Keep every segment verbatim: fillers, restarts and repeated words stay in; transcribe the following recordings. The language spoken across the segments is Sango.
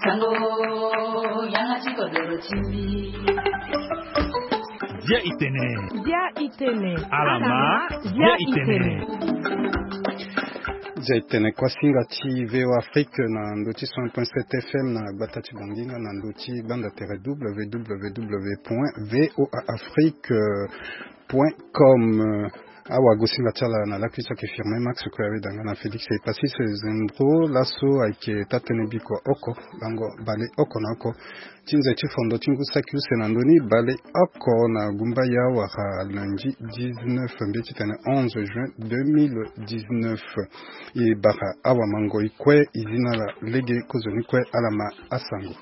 Sango, yanga ti kodoro ti mbi. Dia itene. Dia itene. Alama, dia itene. Dia itene. Kuasinga ti V O Afrique na ndö ti cent point sept F M na gbata ti Bongi nga na ndö ti gbanda tere W W W point V O A Afrique point com. Awagosinga ti ala na lakui so ayeke Firmin Max Koyaweda nga na Félix Epasis Zembro. Laso ayeke taa-tënë bikua oko, lango bale oko na oko ti nze ti fondo ti ngu saki use na ndö ni bale oko na gumbaya wala lundi dix-neuf mbi titene onze juin deux mille dix-neuf. E bara awamangoi kue e zi na ala lege kozoni kue ala ma asango.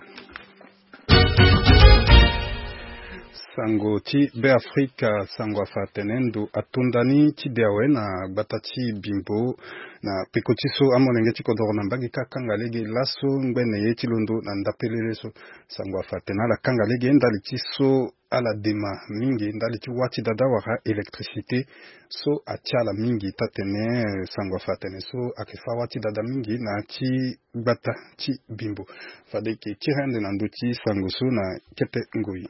Sango ti Beafrika, sango afa atene ndo ato ndani ti de awe na gbata ti Bimbo na peko ti so amolenge ti kodoro na mbage kâ akanga lege laso ngbene ye ti londo na ndapelele so. Sango afa atene ala kanga lege ndali ti so ala dema mingi ndali ti wâ ti dada wala électricité so atia ala mingi taa-tënë. Sango afa atene so ayeke fâ wâ ti dada mingi na ya ti gbata ti Bimbo. Fade e yeke tiri ande na ndö ti sango so na kete ngoi.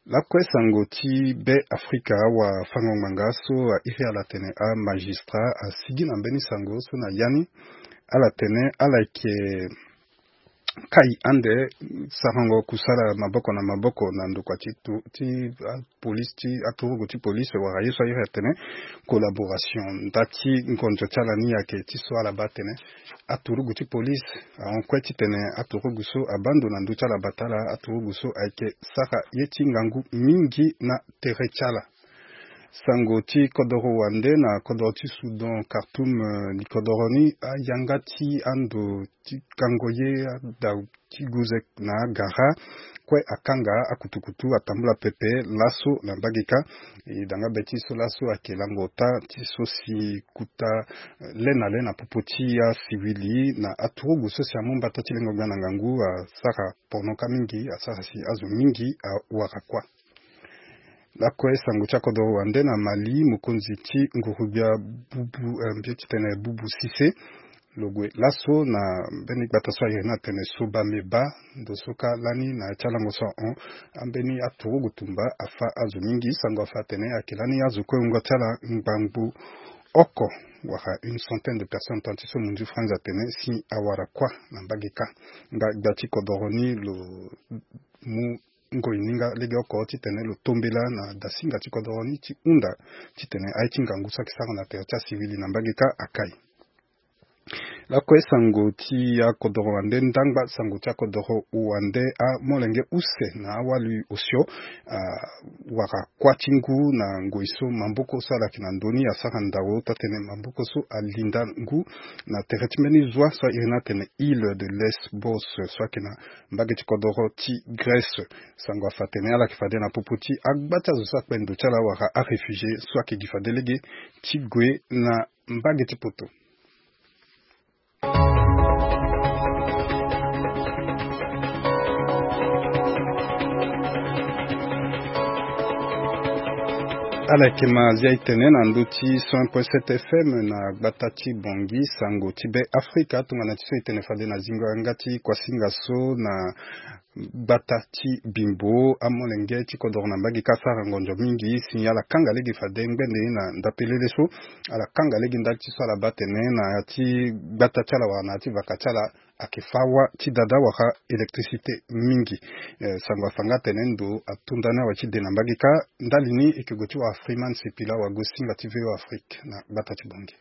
Lakue sango ti Beafrika, awafango-ngbanga so a iri ala atene amagistrat asigi na mbeni sango so na ya ni. Ala tene ala yeke kai ande sarango kusala maboko na maboko na ndokua ti tu- ti apolisi ti aturugu ti polisi wala ye so a iri atene collaboration. Nda ti ngonzo ti ala ni ayeke ti so ala baa atene aturugu ti polisi ahon kue titene aturugu so abaa ndo na ndö ti ala bata ala aturugu so ayeke sara ye ti ngangu mingi na tere ti ala. Sango ti kodoro wande na kodoro ti Soudan, Khartoum, eh, li kodoro ni ayanga ti ando ti kango ye ada ti guze na agara kue akanga akutukutu atambula pepe laso na mbage kâ. E danga be ti so laso ayeke lango ota ti so si kuta, eh, le na le na popo ti asiwili na aturugu so si amu mbata ti lengo gbia na ngangu asara pono kâ mingi asara si azo mingi awara kuâ. Lakue sango ti akodoro wande na Mali, mokonzi ti nguru-gbia Bubu, eh, mbi ye titene Bubu Sise, lo gue laso na mbeni gbata so a iri ni atene Soba Meba. Ndo so kâ lani na ya ti alango so ahon ambeni aturugu tumba afâ azo mingi. Sango afa atene ayeke lani azo kue wungo ti ala ngbangbo oko wala une centaine de personnes, tant ti so munzu franz atene si awara kuâ na mbage kâ. Nga gbia ti kodoro ni lo mu ngoi ni nga legeoko titene lo tombela na dasinga ti kodoro ni ti hunda titene aye ti ngangu so ayeke sara na tere ti asiwili na mbage kâ akai. Lakue sango ti akodoro wande ndangba sango ti akodoro wande amolenge use na awali osio, ah, wara kuâ ti ngu na ngoi so maboko so ala yeke na ndö ni asara ndao taa-tënë maboko so alinda ngu na tere ti mbeni zwa so a iri ni atene île de Lesbos so ayeke na mbage ti kodoro ti Grèce. Sango afa atene ala yeke fade na popo ti agba ti azo so akpe ndo ti ala wala aréfugié so ayeke gi fade lege ti gue na mbage ti poto. Ala yeke ma zia e tene na ndö ti cent point sept F M na gbata ti Bongi, sango ti Be Afrika, tongana ti so e tene fade na zingo yanga ti kuasinga so na gbata ti Bimbo, amolenge ti kodoro na mbage kâ asara ngonzo mingi si ala kanga lege fade ngbene na ndapelele so. Ala kanga lege ndali ti so ala baa atene na ya ti gbata ti ala wala na ya ti vaka ti ala ayeke fâ wâ ti dada wala électricité mingi. Eh, sango afa nga atene ndo ato ndani awe ti de na mbage kâ. Ndali ni e yeke gue ti wara Freeman Sipila, awagosinga ti V O Afrique na gbata ti Bongi.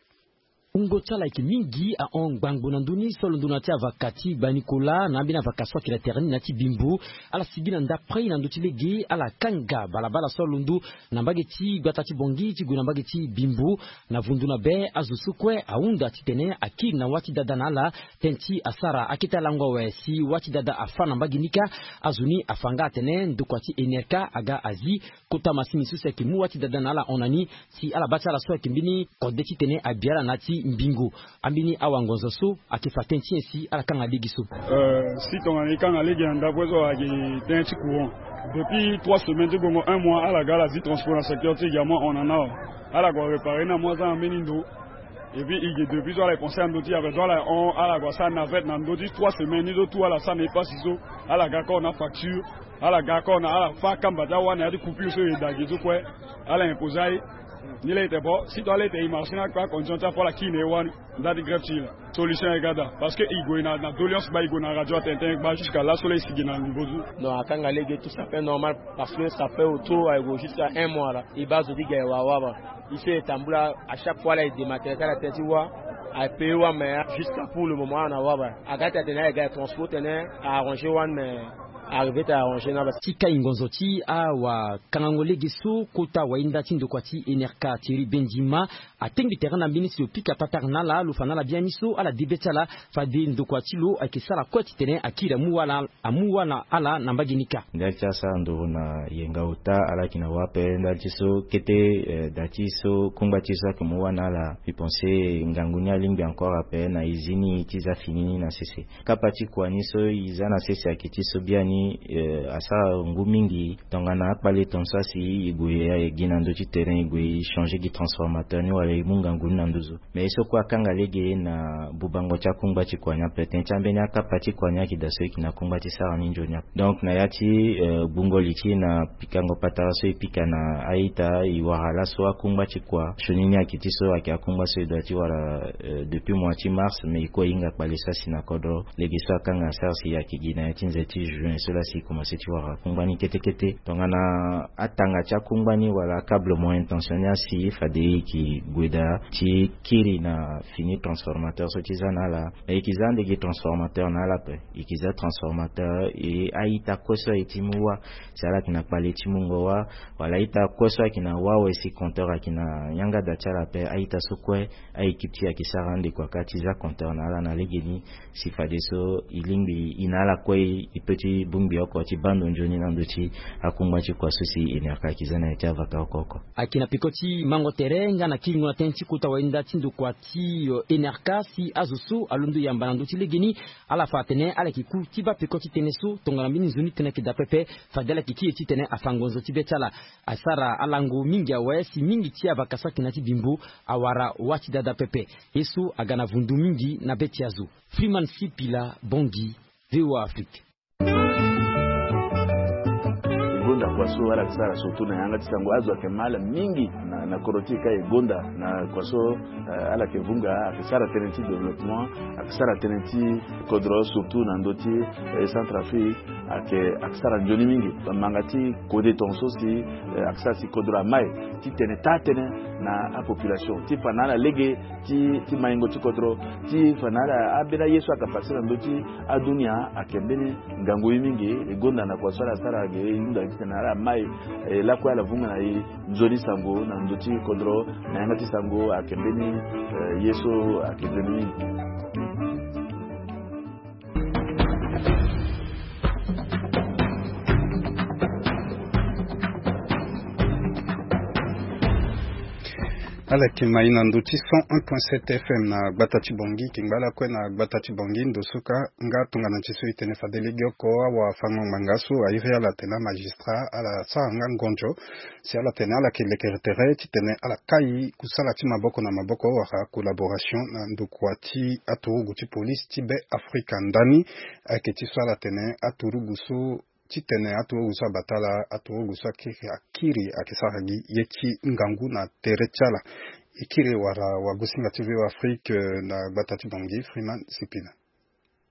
Wungo ti ala ayeke mingi ahon ngbangbo na ndö ni so alondo na ya ti avaka ti Gba Nicolas na ambeni avaka so ayeke na tere ni na ya ti Bimbo. Ala sigi na ndapre na ndö ti lege ala kanga balabala so alondo na mbage ti gbata ti Bongi ti gue na mbage ti Bimbo. Na vundu na be azo so kue ahunda titene akiri na wâ ti dada na ala tënë ti asara akete alango awe si wâ ti dada afâ na mbage ni kâ. Azo ni afa nga atene ndokua ti Enerka aga azi kota masini so si ayeke mu wâ ti dada na ala hon na ni si ala baa ti ala so ayeke mbeni kode titene abi ala na ya ti mbingo. Ambeni awangonzo so ayeke fa tënë ti nyen si ala kanga lege so? Euh, si tongana e kanga lege na ndapre so ayeke tënë ti courant. Depuis trois semaines ti bongo un mois ala ga ala zi transport na secteur ti e ga mo ahon na ni awe. Ala gue réparer ni amu aza na mbeni ndo. Et puis i ge depuis so ala e pensé na ndö ti e ape, donc ala hon ala gue asara navette na ndö ti trois semaines ni so tout ala sara na e pasi so. Ala ga kor na facture, ala ga kor na ala fâ akamba ti awa na ya ti coupure so e da ge so kue. Ala imposé aye. Ni laa e tene bon si to ala e tene e marché ni akpe acondition ti apo ala kiri na e wani. Nda ti grève ti e laa solution e ga daa. Parce que e gue na doléance baa e gue na radio atene tënë baa jusqu'à laso laa e sigi na niveau so. Non, akanga lege tout ça fait normal. Parce que ça fait autour aye gue jusqu'à un mois laa e baa zo ti ga e wara wara. E so e tambula à chaque fois laa e dématerialiser ala tënë ti wâ. Aye payer wâ mais jusqu'à pour le moment ala na wâ baa aga ti atene aye ga e transport tene a arranger wâ mais arrivé ti arranger na baa. Ti kai ngonzo ti awakangango lege so kota wainda ti ndokua ti Enerka Thierry Bendima atengbi tere na mbeni si lo pika patara na ala lo fa na ala biani so ala de be ti ala. Fade ndokua ti lo ayeke sara kue titene akiri amu wâ na ala na mbage ni kâ. Ndali ti asara nduru na yenga ota ala yeke na wâ ape ndali ti so kete. Eh, da ti so kungba ti e so ayeke mu wâ na ala mbi pense ngangu ni alingbi encore ape na e zi ni ti za fini ni na sese. Kapa ti kua ni so e za na sese ayeke ti so biani. Eh, asara ngu mingi tongana akpale tongaso asi e gue e gi na ndö ti terrain e gue e changer gi transformateur ni wala e mu ngangu ni na nduzu. Mais ye so kue akanga lege na bubango ti akungba ti kua ni ape tënë ti ambeni akapa ti kua ni ayeke daa so e yeke na kungba ti sara ni nzoni ape. Donc na ya ti eh, gbungo li ti e na pikango patara so e pika na a-ita e wara laso akungba ti kua sioni ni ayeke ti so ayeke akungba so e doit ti wara eh, depuis mois ti mars mais e kue e hinga kpale so asi na kodro. Lege so akanga asara si ayeke gi na ya ti nze ti juin so laa si e komanse ti wara akungba ni kete kete tongana atanga ti akungba ni wala akablement intention ni asi fade e yeke gue daa ti kiri na fini transformateur so ti za na ala. E yeke za ande gi transformateur na ala ape. E yeke za transformateur e a-ita kue so aye ti mu wâ si ala yeke na kpale ti mungo wâ wala a-ita kue so ayeke na wâ awe si compteur ayeke na yanga da ti ala ape a-ita so kue. A-équipe ti e ayeke sara ande kua kâ ti za compteur na ala na legeni. Si fadeso e lingbi e na ala kue e peut ti bongbi oko ti baa ndo nzoni na ndö ti akungba ti kua so si Enerka ayeke za na ya ti avaka oko oko. Ayeke na peko ti mango tere nga na kiringo na tënë ti kota wainda ti ndokua ti Enerka si azo so alondo yamba na ndö ti legeni. Ala fa atene ala yeke ku ti baa peko ti tënë so tongana mbeni nzoni tënë ayeke daa pepe. Fade ala yeke kiri titene afa ngonzo ti be ti ala. Asara alango mingi awe si mingi ti avaka so ayeke na ya ti bimbo awara wâ ti dada pepe. Ye so aga na vundu mingi na be ti azo. Freeman Sipila, Bangui, V O A Afrique. E gonda kua so ala yeke sara surtout na yanga ti sango azo ayeke ma ala mingi na kodro ti e ka e gonda na kua so. Ala yeke vunga ayeke sara tënë ti développement, ayeke sara tënë ti kodro surtout na ndö ti Centrafrique. Ayeke ayeke sara nzoni mingi manga ti kode tongaso si ayeke sara si kodro amai titene taa tënë na apopulation ti fa na ala lege ti maingo ti kodro ti fa na ala ambeni aye so ayeke passe na ndö ti adunia. Ayeke mbeni ngangu ye mingi. E gonda na kua so ala sara ge e hunda titene ala mai lakue ala vunga na e nzoni sango na ndö ti kodro na yanga ti sango ayeke mbeni ye so ayeke nzoni mingi. Ala yeke mai na ndö ti cent un point sept F M na gbata ti Bangui. Kingba lakue na gbata ti Bangui ndo so ka nga tongana ti so e tene fade legeoko awafango-ngbanga so a iri ala atene amagistrat ala sara nga ngonzo si ala tene ala yeke lekere tere titene ala kai kusala ti maboko na maboko wala collaboration na ndokua ti aturugu ti polise ti Be Afrika ndani. Ayeke ti so ala tene aturugu so titene aturugu so abata ala aturugu so akiri akiri ayeke sara gi ye ti ngangu na tere ti ala. E kiri wala wagosinga ti V O A Afrique na gbata ti Bangui Freeman Sipila.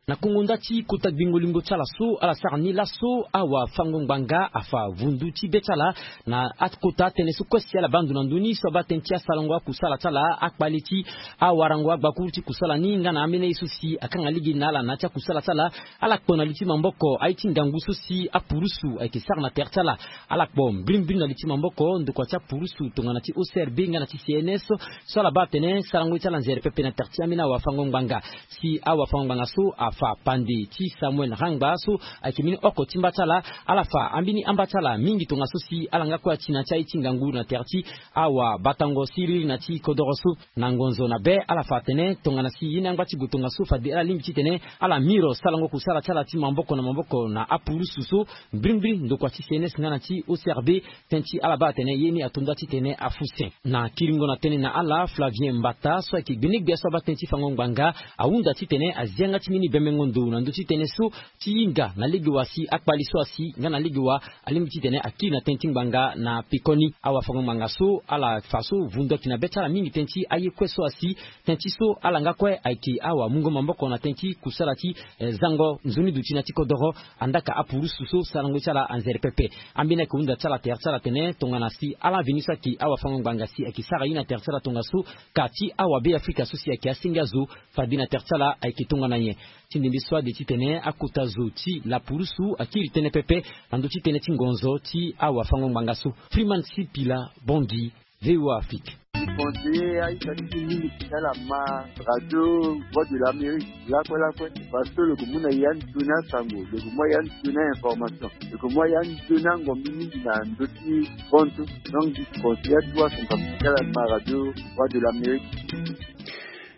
Na kongo nda ti kota gbingo lingo ti ala so ala sara ni laso awafango-ngbanga afa vundu ti be ti ala na akota atënë so kue si ala baa ndo na ndö ni so abaa tënë ti asarango akusala ti ala akpale ti awarango agbakuru ti kusala ni nga na ambeni aye so si akanga lege na ala na ya ti akusala ti ala. Ala kpo na li ti maboko aye ti ngangu so si apurusu ayeke sara na tere ti ala. Ala kpo mbirimbiri na li ti maboko ndokua ti apurusu tongana ti O C R B nga na ti C N S so ala baa atene sarango ye ti ala nzere pepe na tere ti ambeni awafango-ngbanga. Si awafango-ngbanga so a Fa pande ti Samuel Rangba so ayeke mbeni oko ti mba ti ala, ala fa ambeni amba ti ala mingi tongaso si ala nga kue ati na ti aye ti ngangu na tere ti awabatango siriri na ti kodoro so. Na ngonzo na be ala fa atene tongana si ye ni angba ti gue tongaso fade ala lingbi titene ala miro sarango kusala ti ala ti maboko na maboko na apurusu so. Mbirimbiri ndokua ti C N S nga na ti O C R B, tënë ti ala baa atene ye ni ato nda titene afu se. Na kiringo na tënë na ala, Flavien Mbata so ayeke gbenegbia so abaa tënë ti fango ngbanga ahunda titene azi yanga ti mbeni bembengo ndo na ndö ti tënë so ti hinga na lege wa si akpali so asi nga na lege wa alingbi titene akiri na tënë ti ngbanga na pekoni. Awafango ngbanga so ala fa so vundu ayeke na be ti ala mingi tënë ti aye kue so asi. Tënë ti so ala nga kue ayeke awamungo maboko na tënë ti kusala ti eh, zango nzoni duti na ti kodoro. Andaka apurusu so sarango ti ala anzere pepe. Ambeni ayeke hunda ti ala tere ti ala atene tongana si ala veni so ayeke awafango ngbanga si ayeke sara ye na tere ti ala tongaso, ka ti awabeafrika so si ayeke asenge azo fade na tere ti ala ayeke tongana nyen. Ti ndembe so ade titene akota zo ti lapurusu akiri tënë pepe na ndö ti tënë ti ngonzo ti awafango ngbanga so. Freeman Sipila, Bangui, V O A Afrique. Conseiller aita ti ti mingi ti ala ma radio Voix de l'Amérique lakue lakue. Parce que lo yeke mu na ya ni toni asango, lo yeke mu ya ni toni information, lo yeke mu ya ni toni angombi mingi na ndö ti bontu. Donc conseiller atu asango ti ala ma radio Voix de l'Amérique.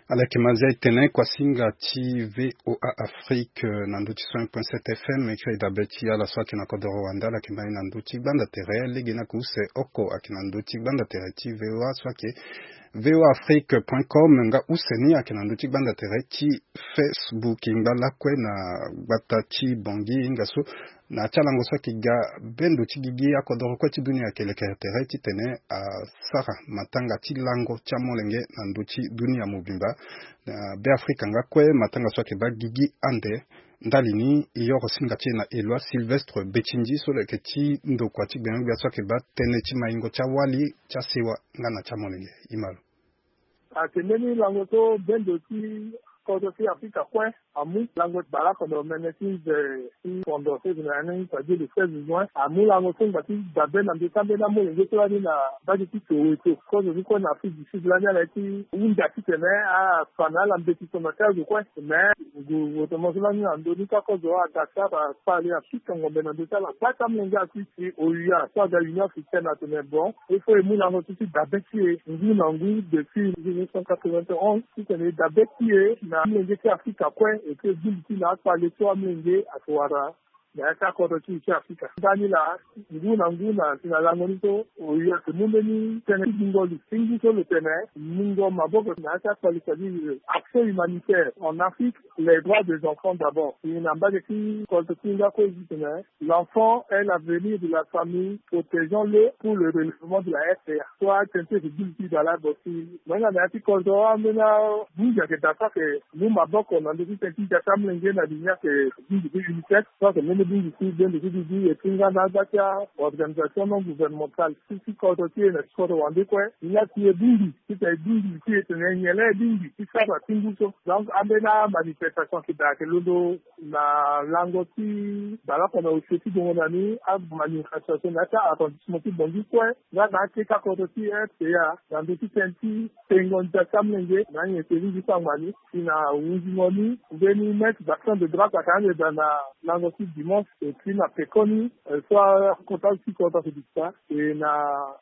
Ala yeke ma zia e tene kuasinga ti V O A Afrique, eh, na ndö ti cent un point sept F M, e kiri dabe ti ala so ayeke na kodoro wande, ala yeke ma e na ndö ti gbanda tere. Lege ni ayeke use oko ayeke na ndö ti gbanda tere ti V O A so ayeke V O A Afrique point com, nga use ni ayeke na ndö ti gbanda tere ti Facebook. Ngba lakue na gbata ti Bangui, hinga so na ya ti alango so ayeke ga bendo ti gigi akodoro kue ti dunia ayeke lekere tere titene asara matanga ti lango ti amolenge na ndö ti dunia mobimba. Na Beafrika nga kue matanga so ayeke baa gigi ande. Ndali ni e yoro singa ti e na Eloi Sylvestre Betindji so lo yeke ti ndokua ti gbenyogbia so ayeke baa tënë ti maingo ti awali ti asewa nga na ti amolenge. E ma lo. Atene ni lango so bendo ti kodro ti Afrika kue amu lango ti baleoko na omene ti nze ti fondo so e yeke na ya ni, c'est-à-dire le seize juin, amu lango so ngba ti dabe na ndö ti ambeni amolenge so lani na mbage ti Soweto. Kozo ni kue na Afrique du Sud lani ala ye ti hunda titene afa na ala mbeti so na ti azo kue. Mais gouvernement so lani na ndö ni ti akozo a Dakar akpale apikango mbe na ndö ti ala kue ti amolenge akui si O U A so aga Union Africaine atene bon, il faut e mu lango so ti dabe ti e ngu na ngu depuis mille neuf cent quatre-vingt-onze titene e dabe ti e na amolenge ti Afrika kue, e ke bungbi ti na akpale so amolenge ayeke wara na ya ti akodro ti e ti Afrika. Ndani laa, ngu na ngu na si na lango ni so, O U A ayeke mu mbeni tënë ti gbungo li ti ngu so lo tene mungo maboko na ya ti akpale, c'est-à-dire accès humanitaire en Afrique, les droits des enfants d'abord. E na mbage ti kodro ti e nga kue e tene, l'enfant est l'avenir de la famille, protégeons-le pour le relèvement de la R C A. So atene ti e yeke bungbi ti dala bo si mo hinga na ya ti kodro ambeni abungi ayeke daa so ayeke mu maboko na ndö ti tënë ti ja ti amolenge na li ni ayeke bungbi ti UNICEF so ayeke mbeni bungbi ti bendo ti dudu e ti nga na agba ti a organisation non gouvernementale ti ti kodro ti e na ti kodro wande kue. Ni laa si e bungbi titene e bungbi ti e tene nyen laa e bungbi ti sara ti ngu so. Donc ambeni amanifestation ayeke daa ayeke londo na lango ti baleoko na osio ti gongo na ni, amanifestation na ya ti a-arrondissement ti Bangui kue nga na akete akodro ti R C A na ndö ti tënë ti tengo ndia ti amolenge na anyen ti lingbi so angba ni. Si na hunzingo ni, mbeni maître d'action de droite ayeke ande daa na lango ti dimanche. Et puis na pekoni, eh, so akota ti kodro ayeke duti daa, e na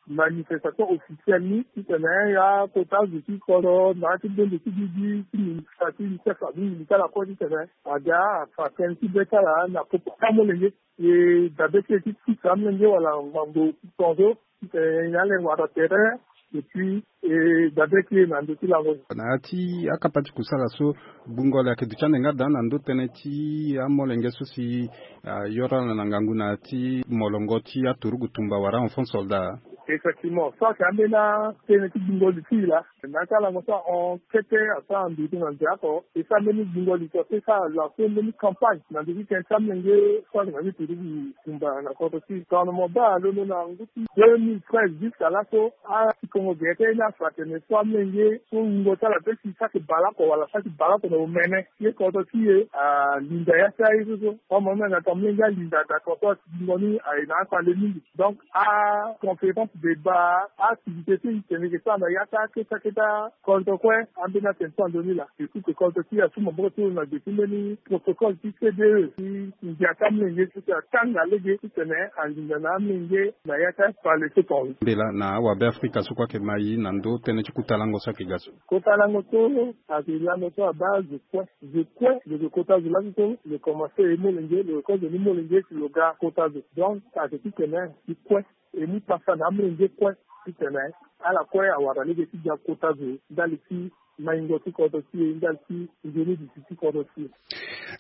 manifestation officielle ni titene akota zo ti kodro na ya ti bendo ti gigi ti ministre ti UNICEF abungbi ti ala kue titene aga afa tënë ti be ti ala na popo ti amolenge. E dabe ti e ti pusa amolenge wala ngangu tongaso, e, nyen ala wara tere. Et puis e dabe ti e na ndö ti lango. Na ya ti akapa ti kusala so, gbungo li ayeke duti ande nga daa na ndö tënë ti amolenge so si ayoro ala na ngangu na ya ti molongo ti aturugu tumba wala enfant soldat. Effectivement so ayeke ambeni atënë ti gbungo li ti e laa. Na ya ti alango so ahon kete asara ndutu na nze oko, e sara mbeni gbungo li so, e sara lancer mbeni campagne na ndö ti tënë ti amolenge so ayeke na ti turugu tumba na kodro ti e. Tongana mo baa alondo na ngu ti deux mille treize jusqu'à laso, apikongo gere ti aye ni afa atene so amolenge so wungo ti ala pe si so ayeke baleoko wala so ayeke baleoko na omene ti kodro ti e alinda ya ti aye so so. Amono na yanga tonga molenge alinda d'accord so atingo ni aye na akpale mingi. Donc aconférence Deba activité ti tene ke sara na yaka keta keta. Kodro kue ambeni atene so ando ni laa. Ekupe kodro ti asu maboko ti lo na gbe ti mbeni protocole ti C D E ti ngia ti amolenge so si atanga lege titene anginza na amolenge na yaka pale so tonga. Mbela na awabe afrika so kue ayeke mai na ndö tënë ti kota lango so ayeke ga so. Kota lango so ayeke lango so abaa zo kue. Zo kue lo yeke kota zo laso so lo komanse e molenge lo yeke kozo ni molenge si lo ga kota zo. Donc ayeke titene ti kue e mu pasa na amolenge kue titene ala kue awara lege ti ga kota zo ndali ti maingo ti kodro ti e ndali ti nzoni disi ti kodro ti e.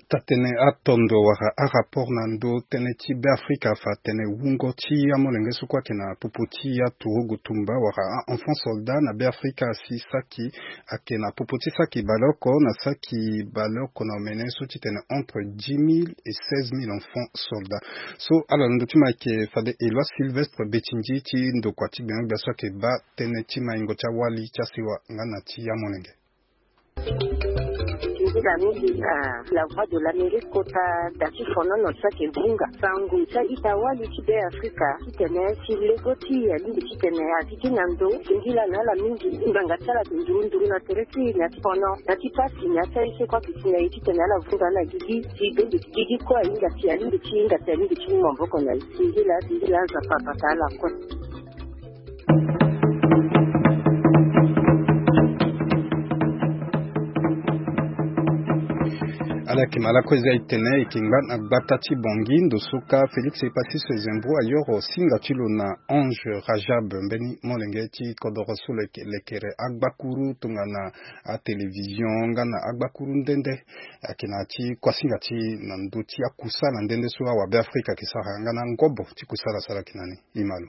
Tatene atondo wala arapport na ndö tënë ti Beafrika fa atene wungo ti amolenge so kue ayeke na popo ti aturugu tumba wala a-enfant soldat na Beafrika si saki ayeke na popo ti saki baleoko na saki baleoko na omene so titene entre dix mille et seize mille enfants soldats. So ala na ndö ti mo ayeke fade Eloi Sylvestre Betingi ti ndokua ti gbenyogbia so ayeke baa tënë ti maingo ti awali ti asewa nga na ti amolenge. Nzila mingi na La Voix de l'Amérique kota da ti fonono ti ayeke vunga sango ti a-ita-wali ti Beafrika titene si lego ti e alingbi titene a ti na ndo singila na ala mingi. Ngbanga ti ala ayeke nduru nduru na tere ti e na ti fono na ti pasi na ya ti aye so kue ayeke si na e titene ala vunga ala gigi si bende ti gigi kue ahinga si alingbi ti hinga si alingbi ti mu maboko na e. Singila singila Nzapa abata ala kue. Ala yeke ma lakue eza e tene e yeke ngba na gbata ti Bangui ndo so ka Félix Epassis Zembro ayoro singa ti lo na Ange Rajab mbeni molenge ti kodoro so lo yeke lekere agbakuru tongana atélévision nga na agbakuru nde nde. Ayeke na ya ti kuasinga ti na ndö ti akusala nde nde so awabe afrika ayeke sara nga na ngobo ti kusala so ala yeke na ni. Imalo.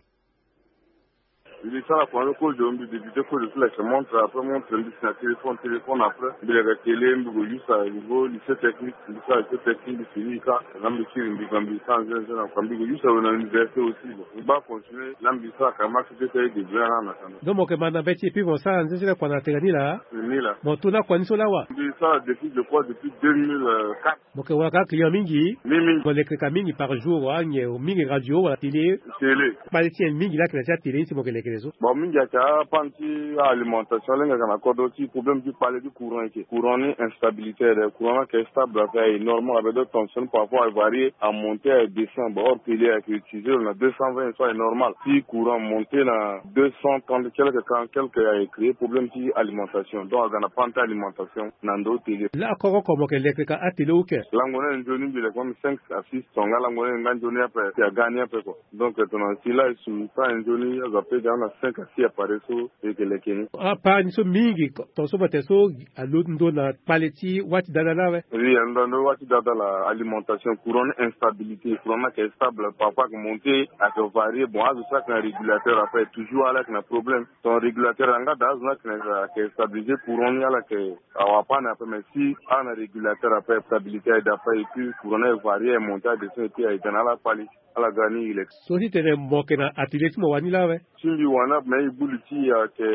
Mbi sara kua ni kozo mbi débuté kozo ti leke montre après montre mbi si na téléphone téléphone après mbi leke télé mbi ko yusa niveau lycée technique mbi sara lycée technique mbi fini ka na mbi kiri mbi ga mbi sara nzenze na kua mbi ko yusa we na université aussi bon mbi baa continuer na mbi sara ka marché ti ete aye début ana na kanda. Donc mo yeke ma na be ti e puis mo sara nzenze le kua na tene ni laa. Ni laa. Mo to na kua ni so lawa. Mbi sara depuis je crois depuis deux mille quatre. Mo yeke wara ka client mingi. Mingi mingi. Mo leke ka mingi par jour wala nyen mingi radio wala télé. Télé. Kpale ti nyen mingi la yeke na ti atélé ni si mo yeke lekere so. Bon mingi ayeke apane ti alimentation lenge ayeke na kodro ti problème ti kpale ti courant eke courant ni instabilité aye courant ni ayeke stable ape aye normal ape donc tension ni parfois aye varié amonté aye descend bon or télé ayeke utiliser lo na deux cent vingt so aye normal si courant monté na deux cent trente quelque quarante quelque aye créer problème ti alimentation donc aga na panne ti alimentation na ndo télé. La koko oko mo yeke leke ka atélé ou ke. Lango ni aye nzoni mbi leke mbi cinq à six tonga lango ni aye nga nzoni ape si aga ni ape kua. Donc tongana si la e su pa aye nzoni azo ape ga na cinq à six appareil so e yeke leke ni. Apara ni so mingi tonga so mo tene so alo ndo na kpale ti wâ ti dada la awe. Oui ando ando wâ ti dada la alimentation courant ni instabilité courant ni ayeke stable parfois ayeke monté ayeke varié bon azo so ayeke na régulateur ape toujours ala yeke na problème. Ton régulateur yanga daa azo ni ayeke na ayeke stabilisé courant ni ala yeke awa panne ape mais si ala na régulateur ape stabilité aye daa ape et puis courant ni aye varié aye monté aye descend et puis aye ga na ala kpali. Ala ga ni ilek. So ti tene mo yeke na atelier ti mo wani lawe. Ti mbi wani ape mais e gbu li ti e ayeke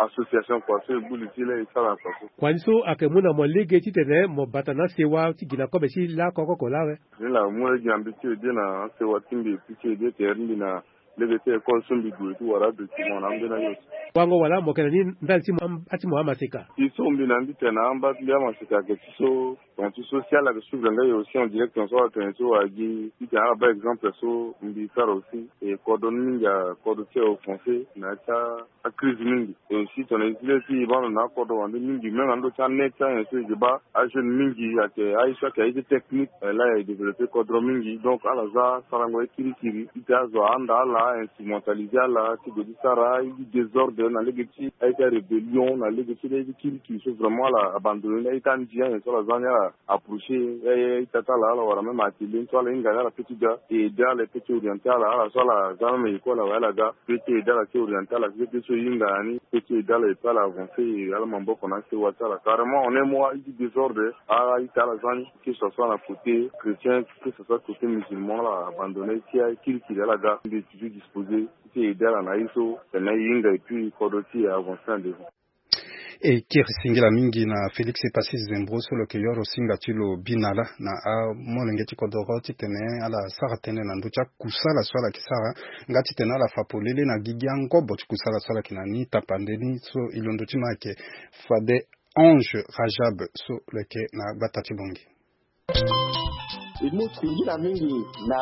association kua so e gbu li ti e la e sara na kua so. Kua ni so ayeke mu na mo lege titene mo bata na asewa ti gi na kobe ti lakoko oko lawe. Ni la mu lege na mbi ti ede na asewa ti mbi e pu ti ede tere ti mbi na lege ti école so mbi gue ti wara adocument na ambeni ayo. Wango wala mo yeke na ni ndali ti mo amba ti mo amaseka. Ti so mbi na mbi tene na amba ti mbi amaseka ayeke ti so. Ton ti so si ala yeke suivre nga e aussi en direct ton so ala tene so wala gi ti tene ala baa exemple so mbi sara aussi e kodro ni mingi akodro ti e offensé na ya ti acrise mingi. E aussi tongana e zi le ti e baa ndo na akodro wande mingi même na ndö ti anet ti ayen so e ke baa ajeune mingi ayeke aye so ayeke aye ti technique la e développé kodro mingi donc ala za sarango ye kirikiri ti tene azo ahanda ala instrumentalisé ala ti gue ti sara aye ti désordre na lege ti aye ti arébellion na lege ti aye ti kirikiri so vraiment ala abandonné ni aye ti andi ayen so ala za ni ala approché aye ti ata ala ala wara même atelier ni so ala hinga ni ala peut ti ga e aidé ala e peut ti orienté ala ala so ala za même école awe ala ga peut ti aidé ala ti orienté ala ti peut so e hinga na ni peut ti aidé ala e peut ala avancé e ala maboko na asewa ti ala carrément en un mois aye ti désordre. Ala ita ala za ni que ce soit na côté chrétien que ce soit côté musulman ala abandonné ti aye kirikiri ala ga mbi toujours disposé ti aidé ala na aye so tene e hinga et puis kodro ti e avancé na devant. E kiri singila mingi na Félix Epassis Zembro so lo yeke yoro singa ti lo binala na amolenge ti kodoro titene ala sara tënë na ndö ti akusala so ala yeke sara, nga titene ala fa polele na gigi angobo ti kusala so ala yeke na ni tapande ni. So e londo ti ma ayeke fade Ange Rajab so lo yeke na gbata ti Bangui. E mu singila mingi na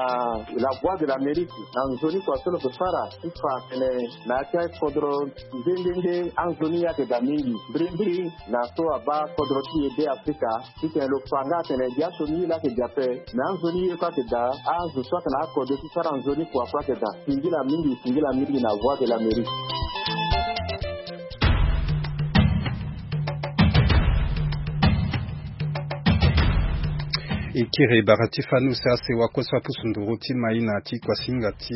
La Voix de l'Amérique na nzoni kua so lo yeke fara ti fa tene na ya ti akodro nde nde nde anzoni ye ayeke daa mingi mbirimbiri na so abaa kodro ti e Be Afrika titene lo fa nga atene gi asioni ye laa ayeke daa ape. Me anzoni ye kue ayeke daa, azo so ayeke na akode ti sara nzoni kua kue ayeke daa. Singila mingi, singila mingi na Voix de l'Amérique. E kiri bara ti fani use asewa kue so apusu nduru ti maïna ti kuasinga ti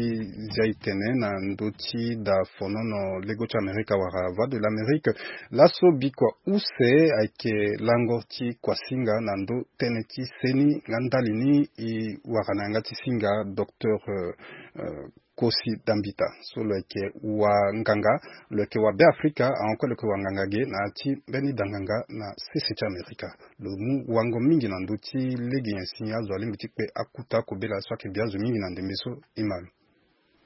zia e tene na ndö ti da fonono lego ti Amerika wala Voix de l'Amérique. Laso bikua use ayeke lango ti kuasinga na ndö tënë ti seni nga ndali ni e wara na yanga ti singa docteur, euh, euh, Kosi Dambita so lo yeke wanganga, lo yeke wa Be Afrika, ahon kue lo yeke wanganga ge na ya ti mbeni danganga na sese ti Amerika. Lo mu wango mingi na ndö ti lege nyen si azo alingbi ti kpe akuta kobela so ayeke bi azo mingi na ndembe so, e ma lo.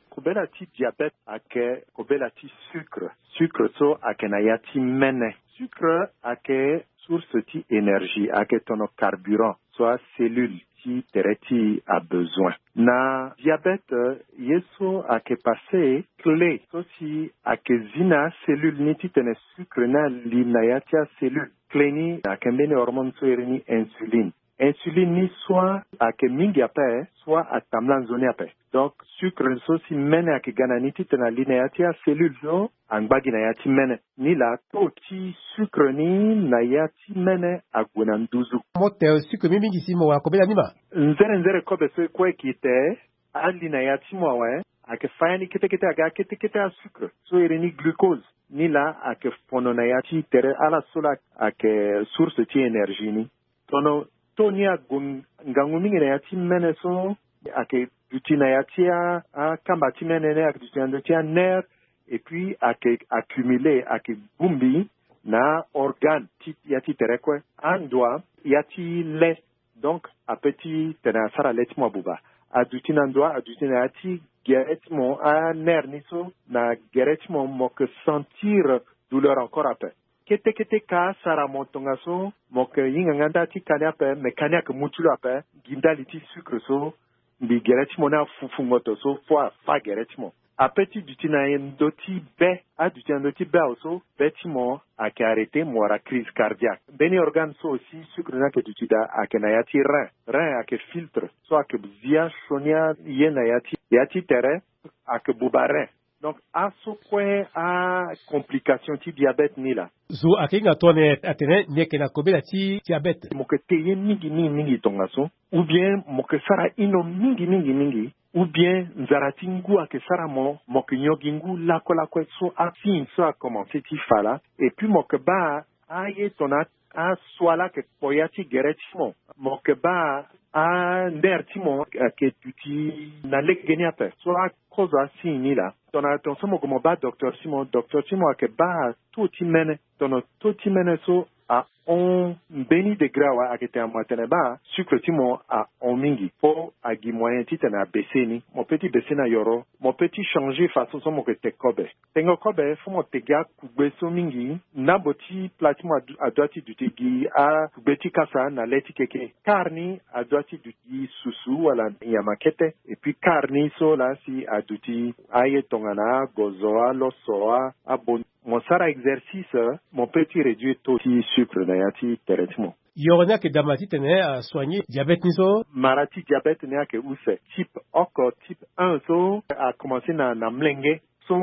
Kobela ti diabète ayeke kobela ti sucre. Sucre so ayeke na ya ti mene. Sucre ayeke source ti énergie, ayeke tono carburant so acellule ti tere ti e abezoin. Na diabète, ye so ayeke passé, clé so si ayeke zi na acellule ni titene sucre ni ali na ya ti acellule. Clé ni ayeke mbeni hormone so iri ni insuline. Insuline ni soit ayeke mingi ape, soit atambula nzoni ape. Donc, sucre so si mene ayeke ga na ni titene ali na ya ti acellule so angba gi na ya ti mene. Nilaa taux ti sucre ni na ya ti mene ague na nduzu. Mo te sucre ni mingi si mo wara kobela ni ma. Nzere nzere kobe so e kue e gi te, ali na ya ti mo awe, ayeke fa ya ni kete kete aga kete kete asucre so iri ni glucose. Nilaa ayeke fono na ya ti tere ala so laa ayeke source ti énergie ni. Tono taux ni ague ngangu mingi na ya ti mene so ayeke duti na ya ti a, akamba ti mene ni ayeke duti na ndö ti anerf, et puis ayeke accumulé, ayeke bongbi na aorgane ti ya ti tere kue. Andua ya ti le, donc ape titene asara le ti mo abuba. Aduti na ndua, aduti na ya ti gere ti mo, anerf ni so na gere ti mo, mo yeke sentir douleur encore ape. Kete kete ka asara mo tongaso, mo yeke hinga nga nda ti ka ni ape, me ka ni ayeke mu ti lo ape. Gi ndali ti sucre so mbi gere ti mo ni afufu ngoto so fo afa gere ti mo. Ape ti duti na ndö ti be, aduti na ndö ti be awe so be ti mo ayeke arrêté, mo wara crise cardiaque. Mbeni organe so aussi sucre ni ayeke duti daa ayeke na ya ti rein. Rein ayeke filtre so ayeke zi asioni aye na ya ti, ya ti tere, ayeke buba rein. Donc aso kue acomplication ti diabète ni laa. Zo ayeke hinga tongana atene ni yeke na kobela ti diabète. Mo yeke te ye mingi mingi mingi tongaso, ou bien mo yeke sara hino mingi mingi mingi, ou bien nzara ti ngu ayeke sara mo, mo yeke nyon gi ngu lakue lakue. So asigne so akomanse ti fa laa. Et puis mo yeke baa aye tongana aso ala yeke kpo ya ti gere ti mo, mo yeke baa anerf ti mo ayeke duti na lege ni ape. So akozo asigne ni laa, tongana tongaso mo gue mo baa docteur ti mo, docteur ti mo ayeke baa taux ti mene. Tongana taux ti mene so ahon mbeni degré awe, ayeke tene mo atene baa sucre ti mo ahon mingi, fo agi moyen titene abaisse ni. Mo peut ti baisse ni na yoro, mo peut ti changer façon so mo yeke te kobe. Tengo kobe, fo mo te gi akugbe so mingi. Ndambo ti pla ti mo adu-, adua ti duti gi akugbe ti kasa na le ti keke. Quart ni adua ti duti gi susu wala nyama kete. Et puis quart ni so laa si aduti aye tongana agozo, aloso, a, abon. Mo sara exercice, mo peut ti réduire taux ti sucre na ya ti tere ti mo. Yoro ni ayeke daa ma titene asoigner diabète ni so? Mara ti diabète ni ayeke use. Type oko, type un so akomanse na, na molenge. So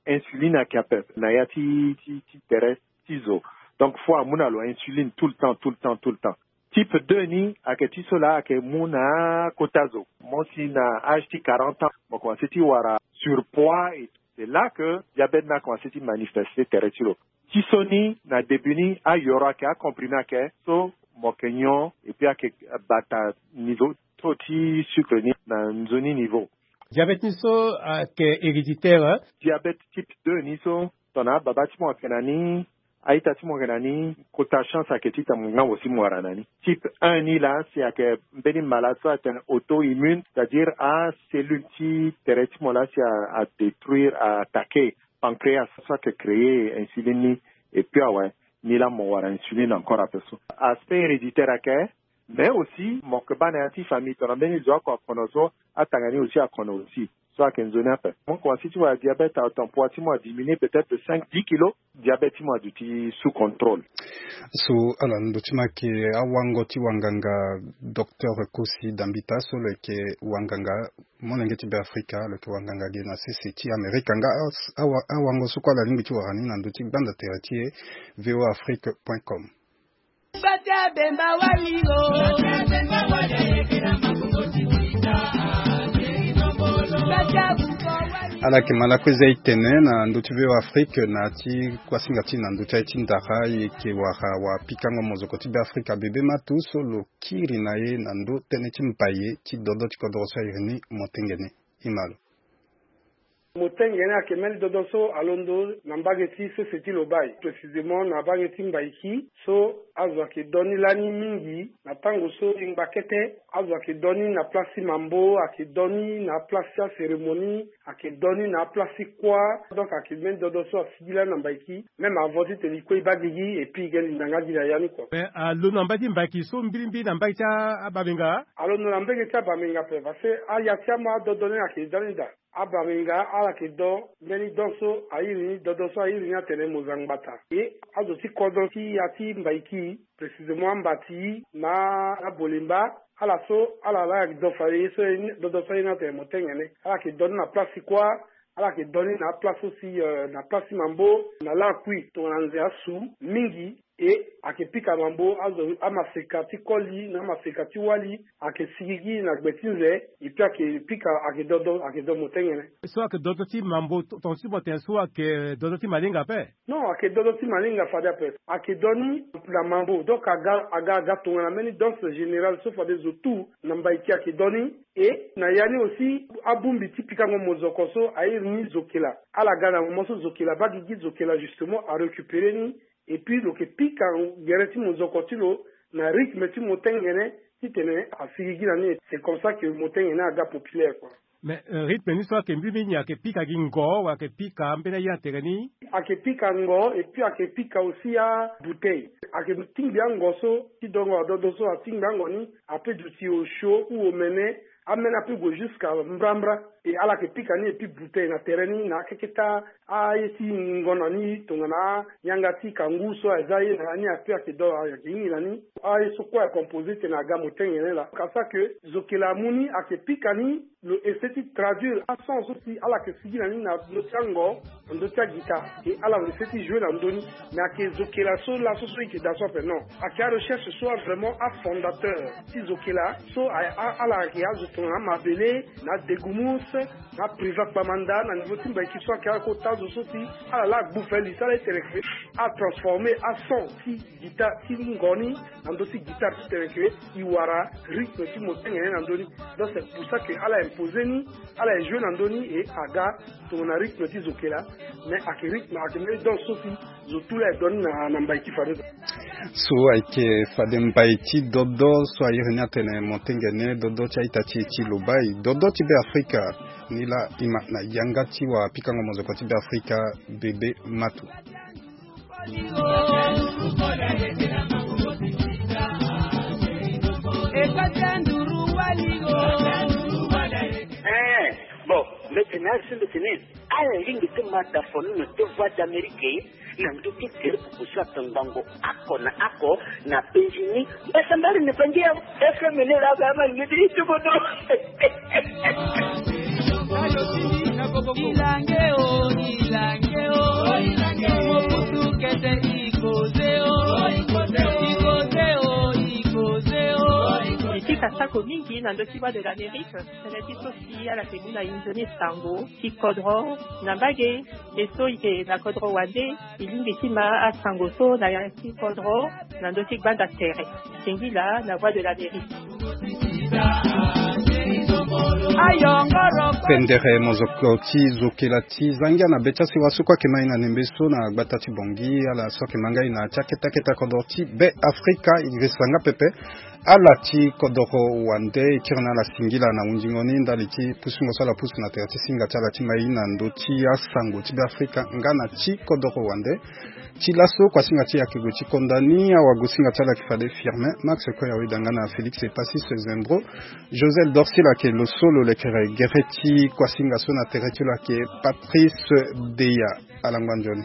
insuline ayeke ape na ya ti, ti, ti tere ti zo. Donc fo amu na lo insuline tout le temps, tout le temps, tout le temps. Type deux ni ayeke ti so laa ayeke mu na akota zo. Mo si na âge ti quarante ans, mo komanse ti wara surpoids, et c'est là que diabète ni akomanse ti manifester tere ti lo. Ti so ni na début ni ayoro ayeke, acomprimé ayeke, so mo yeke nyon, et puis ayeke bata niveau taux ti sucre ni na nzoni niveau. Diabète ni so ayeke héréditaire, hein? Diabète type deux ni so, tongana ababa ti mo ayeke na ni, A-ita ti mo yeke na ni, kota chance ayeke ti tene mo ngangu si mo wara na ni. Type un ni laa si ayeke mbeni mala so atene auto-immune, c'est-à-dire acellule ti tere ti mo laa si a, adétruire, a attaquer pancréas so ayeke créer insuline ni. Et puis awe, ni laa mo wara insuline encore ape so. Aspect héréditaire ayeke, mais aussi mo yeke baa na ya ti famille tongana mbeni zo oko akono so, atanga ni aussi akono aussi. So ayeke nzoni ape. Mo komanse ti wara diabète, atanpoi ti mo adiminuer peut-être de cinq, dix kilos. Diabète ti mo aduti sous contrôle. So ala ndo ti mo ayeke awango ti wanganga, docteur Kosi Dambita so lo yeke wanganga molenge ti Beafrika, lo yeke wanganga ge na sese ti Amerika. Nga a, awa, awango so kue ala lingbi ti wara ni na ndo ti gbanda tere ti e, V O A Afrique point com. Ala yeke ma lakue za e tene na ndö ti V O A Afrique na ti kuasinga ti na ndö ti aye ti ndara, e yeke wara wapikango mozoko ti Beafrika Bebe Matou so lo kiri na e na ndö tënë ti mbaye ti dodo ti kodro so a iri ni Motengene. E ma lo. Motengene ayeke mbeni dodo so alondo na mbage ti sese ti Lobaye, précisément na mbage ti Mbaiki, so azo ayeke do ni lani mingi na tango so e ngba kete. Azo ayeke do ni na place ti mambo, ayeke do ni na place ti acérémonie, ayeke do ni na aplace ti kuâ. Donc ayeke mbeni dodo so asigi lani na Mbaiki. Même avant titene e kue e baa gigi, et puis e ge linda nga gi na ya ni kua. Mais alondo na mbage ti Mbaiki so mbirimbiri na mbage ti a, abamenga? Alondo na mbage ti abamenga ape, parce que aya ti amu adodo ni ayeke da ni daa. Abamenga ala yeke do mbeni don so a iri ni, dodo so a iri ni atene Mozangbata. E azo ti kodro ti ya ti Mbaiki, précisément Ambati na Abolemba, ala so ala laa ayeke do fade ye so, dodo so a iri ni atene Motengene. Ala yeke do ni na place ti kuâ, ala yeke do ni na aplace so si, euh, na place ti mambo, na lakui tongana nze asu mingi. E ayeke pika mambo, azo amaseka ti koli na amaseka ti wali ayeke sigigi na gbe ti nze. E puis ayeke pika, ayeke dodo, ayeke do Motengene. So ayeke dodo ti mambo, to-, tongaso ti mo tene so ayeke dodo ti malinga ape? Non, ayeke dodo ti malinga fade ape. Ayeke do ni na mambo, donc aga, aga, aga tongana mbeni danse générale so fade zo tout na Mbaiki ayeke do ni. E na ya ni aussi abongbi ti pikango mozoko so a iri ni Zokela. Ala ga na moment so Zokela baa gigi, Zokela justement arécupérer ni. Et puis lo yeke pika gere ti mozoko ti lo na rythme ti Motengene titene asigigi na ni. C'est comme ça que Motengene aga populaire, quoi. Mais, euh, rythme ni so ayeke mbirimbiri ni ayeke pika gi ngo, wala ayeke pika mbeni aye na tere ni? Ayeke pika ngo, et puis ayeke pika aussi abouteille. Ayeke tingbi ango so ti dongo adodo so atingbi ango ni, ape duti osio ou omene, ameni ape gue jusqu'à mbrambra. E ala yeke pika ni, et puis bouteille na tere ni na akeketa aye ti ngonda ni tongana ayanga ti kangu so aza ye na ya ni ape ayeke do, ayeke hingi na ni. Aye so kue ayeke composé tene aga Motengene laa. Ka ça que Zokela amu ni ayeke pika ni, lo essayer ti traduire ason so si ala yeke sigi na ni na ndö ti ango, na ndö ti aguitare. E ala lo essayer ti jouer na ndö ni. Mais ayeke Zokela so laso so e yeke daa so ape, non. Ayeke arecherche so a vraiment afondateur ti Zokela so a, a, ala ayeke azo tongana Mabele, na Degumus, na Privat Kpamanda, na niveau ti Mbaiki so ayeke akota zo so si ala laa agbu fali so ala ti tene ke atransformer ason ti guitare ti ngo ni na ndö ti guitare ti tene ke e wara rythme ti Motengene na ndö ni. Donc c'est pour ça que ala imposer ni, ala e jouer na ndö ni et aga tongana rythme ti Zokela. Mais ayeke rythme, ayeke mbeni danse so si zo tout laa e do ni na, na Mbaiki fade. So ayeke fade mbai ti dodo so a iri ni atene Motengene, dodo ti a-ita ti e ti Lobaye, dodo ti Beafrika. Ni laa e ma na yanga ti wapikango mozoko ti Beafrika, Bebe Matou. Eh, bon, maintenant, je me tenais. Ala lingbi ti ma da fo ni na ti Voix d'Amérique na ndö ti groupe so atongbango oko na oko na Benjini. Mbasambala na bangi ya F M ni la ba ma ni ti bodo. Ilange o, ilange o, mokutu kete ikoze o, ikoze o, ikoze o. Ti ka sako mingi na ndö ti Voix de l'Amérique, tënë ti so si ala yeke mu na e nzoni sango ti kodro na mbage. E so e yeke na kodro wande, e lingbi ti ma asango so na ya ti kodro na ndö ti gbanda tere. Singila na Voix de l'Amérique. Pendere mozoko ti zokela ti zangia na be ti asiwa so kue ake mai na nembe so na gbata ti bongi ala so ake mangai na ti akete akete kodro ti be afrika. Iri sanga pepe ala ti kodoro wande e kiri na ala singila na hundingo ni ndali ti pusungo so ala pusu na tere ti singa ti ala ti mai na ndö ti asango ti be afrika nga na ti kodoro wande. Ti laso kuasinga ti yake gue ti konda ni awagosinga ti ala yeke fade firmin max koya weda nga na félix epasis zembro. Josel dorsil ayeke lo so lo lekere gere ti kuasinga so na tere ti lo ayeke patrice deya. Alangba nzoni.